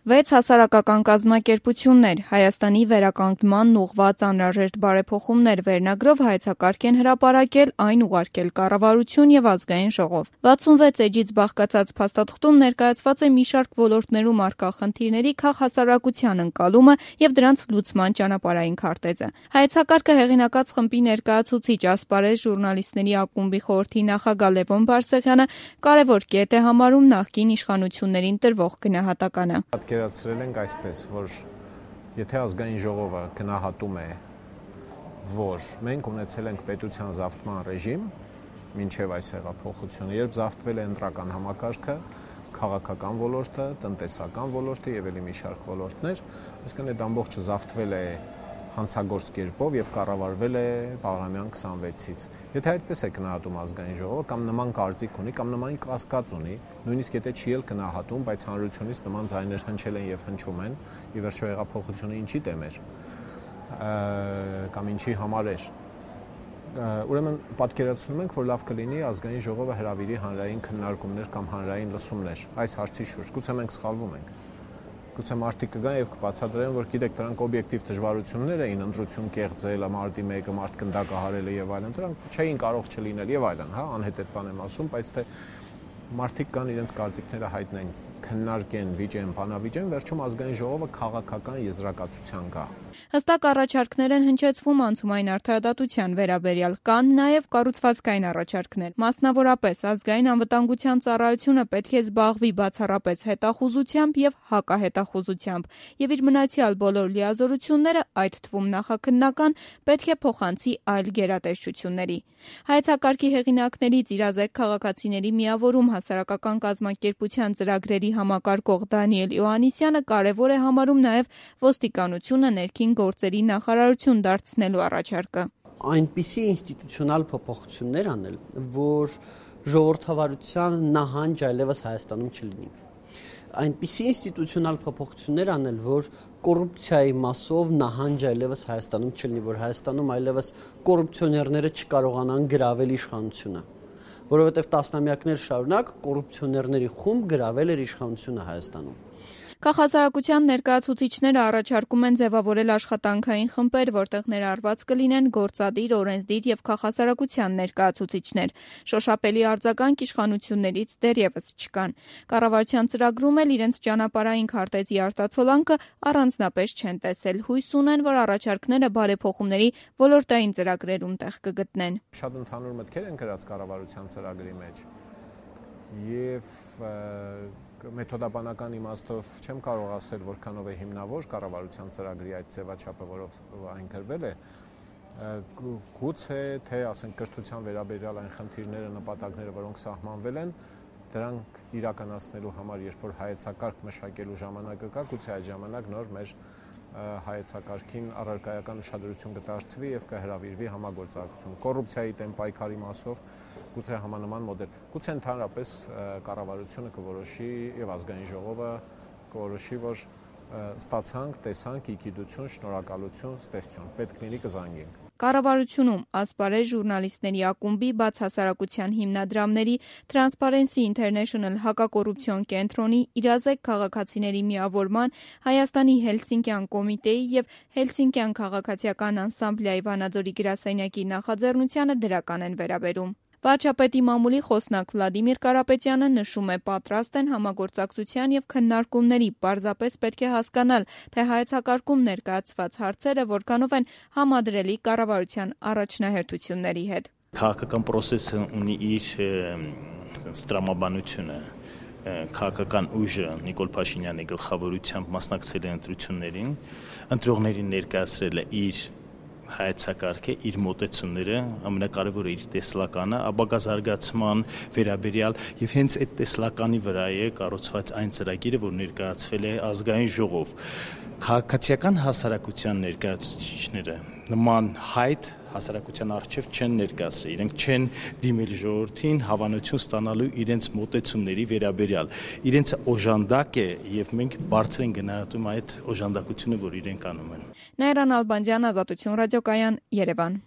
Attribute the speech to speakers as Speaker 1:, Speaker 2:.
Speaker 1: 6 հասարակական կազմակերպություններ Հայաստանի վերականգմանն ուղղված անհրաժեշտ բարեփոխումներ վերնագրով հայեցակարգ են հրապարակել, այն ուղարկել կառավարություն եւ ազգային ժողով։ 66 էջից բաղկացած փաստաթղթում ներկայացված է մի շարք ոլորտներում առկա խնդիրների քաղաքասարակության ընկալումը եւ դրանց լուծման ճանապարհային քարտեզը։ Հայեցակարգը հեղինակած խմբի ներկայացուցիչ ասպարեզ ժուրնալիստների ակումբի խորհրդի նախագահ Լևոն Բարսեղյանը կարևոր կետ է համարում նախկին իշխանություններին տրվող գնահատականը։
Speaker 2: Պատկերացրել ենք այսպես, որ եթե ազգային ժողովը գնահատում է, որ մենք ունեցել ենք պետության զավթման ռեժիմ, մինչև այս հեղափոխությունը, երբ զավթվել է ընտրական համակարգը, քաղաքական ոլորտը, տնտեսական ոլորտը եւ ելի մի շարք ոլորտներ, այսինքն այդ ամբողջը զավթվել է հանցագործ կերպով եւ կառավարվել է Բաղրամյան 26-ից։ Եթե այդպես է գնահատում ազգային ժողովը կամ նման կարծիք ունի կամ նման կասկած ունի, նույնիսկ եթե չի էլ գնահատում, բայց հանրությունից նման ձայներ հնչել են եւ հնչում են, ի վերջո հեղափոխությունը ինչի դեմ էր կամ ինչի համար էր։ Ուրեմն պատկերացնում ենք, որ լավ կլինի ազգային ժողովը հրավիրի հանրային քննարկումներ կամ հանրային լսումներ այս հարցի շուրջ։ Գուցե մենք սխալվում ենք։ Գուցե մարդիկ կգան եւ կբացատրեն, որ գիտեք, դրանք օբյեկտիվ դժվարություններ էին, ընտրություն կեղծել, մարտի 1-ը մարդ գնդակահարելը եւ այլն, դրանք չէին կարող չլինել եւ այլն, հա, անհետետ բան եմ ասում, բայց թե մարդիկ կան իրենց կարծիքները հայտնեն, քննարկեն, վիճեն, բանավիճեն, վերջում ազգային ժողովը քաղաքական եզրակացության գա։
Speaker 1: Հստակ առաջարկներ են հնչեցվում անցումային արդարադատության վերաբերյալ, կան նաև կառուցվածքային առաջարկներ։ Մասնավորապես, ազգային անվտանգության ծառայությունը պետք է զբաղվի բացառապես հետախուզությամբ եւ հակահետախուզությամբ, եւ իր մնացյալ բոլոր լիազորությունները, այդ թվում նախաքննական, պետք է փոխանցի այլ գերատեսչությունների։ Հայեցակարգի հեղինակներից իրազեկ քաղաքացիների միավորում հասարակական կազմակերպության ծրագրերի համակարգող Դանիել Իոաննիսյանը կարևոր է համարում նաև ոստիկանությունը ներքին գործերի նախարարություն դարձնելու առաջարկը։
Speaker 3: Այնպիսի ինստիտուցիոնալ փոփոխություններ անել, որ ժողովրդավարության նահանջ այլևս Հայաստանում չլինի։ Այնպիսի ինստիտուցիոնալ փոփոխություններ անել, որ կոռուպցիայի մասով նահանջ այլևս Հայաստանում չլինի, որ Հայաստանում այլևս կոռուպցիոներները չկարողանան գրավել իշխանությունը, որովհետև տասնամյակներ շարունակ կոռուպցիոներների խումբ գրավել էր իշխանությունը Հայաստանում։
Speaker 1: Քաղաքասարակության ներկայացուցիչները առաջարկում են ձևավորել աշխատանքային խմբեր, որտեղ ներառված կլինեն գործադիր, օրենսդիր եւ քաղաքասարակության ներկայացուցիչներ։ Շոշափելի արձագանք իշխանություններից դեռևս չկան։ Կառավարության ծրագրում էլ իրենց ճանապարհային քարտեզի արտացոլանքը առանձնապես չեն տեսել։ Հույս ունեն, որ առաջարկները բարեփոխումների ոլորտային ծրագրերում տեղ կգտնեն։
Speaker 2: Շատ ընդհանուր մտքեր են գրած կառավարության ծրագրի մեջ եւ մեթոդաբանական իմաստով չեմ կարող ասել, որքանով է հիմնավոր կառավարության ծրագրի այդ ձևաչափը, որով այն գրվել է, գուցե թե ասենք կրթության վերաբերյալ այն խնդիրները, նպատակները, որոնք սահմանվել են, դրանք իրականացնելու համար, երբ որ հայեցակարգ մշակելու ժամանակը կա, գուցե այդ ժամանակ նոր մեր հայեցակարգին առարկայական ուշադրություն կդարձվի եւ կհրավիրվի համագործակցություն։ Կոռուպցիայի դեմ պայքարի մասով գուցե համանման մոդել, գուցե ընդհանրապես կառավարությունը կորոշի եւ ազգային ժողովը կորոշի, որ ստացանք, տեսանք, իգիդություն, շնորհակալություն, ստեսություն, պետք լինի կզանգենք։
Speaker 1: Կառավարությունում ասպարեզ ժուրնալիստների ակումբի, բաց հասարակության հիմնադրամների, Transparency International հակակոռուպցիոն կենտրոնի, իրազեկ քաղաքացիների միավորման, Հայաստանի Հելսինկյան կոմիտեի եւ Հելսինկյան քաղաքացիական անսամբլեի Վանաձորի գրասենյակի նախաձեռնությանը դրական են վերաբերում։ Վարչապետի մամուլի խոսնակ Վլադիմիր Կարապետյանը նշում է, պատրաստ են համագործակցության եւ քննարկումների, պարզապես պետք է հասկանալ, թե հայեցակարգում ներկայացված հարցերը որքանով են համադրելի կառավարության առաջնահերթությունների հետ։
Speaker 4: Քաղաքական process-ը ունի իր տրամաբանությունը, քաղաքական ուժը Նիկոլ Փաշինյանի գլխավորությամբ մասնակցել է ընտրություններին, ընտրողներին ներկայացրել է իր հայեցակարգը, իր մոտեցումները, ամենակարևորը իր տեսլականը, ապագա զարգացման վերաբերյալ եւ հենց այդ տեսլականի վրա է կառուցված այն ծրագիրը, որ ներկայացվել է ազգային ժողով։ Քաղաքացիական հասարակության ներկայացուցիչները նման հայտ հասարակության առջև չեն ներկայացրել, իրենք չեն դիմել ժողովրդին հավանություն ստանալու իրենց մոտեցումների վերաբերյալ։ Իրենց օժանդակ է եւ մենք բարձր են գնահատում այդ օժանդակությունը, որ իրենք անում են։
Speaker 1: Նայրան Ալբանդյան, Ազատություն ռադիոկայան, Երևան։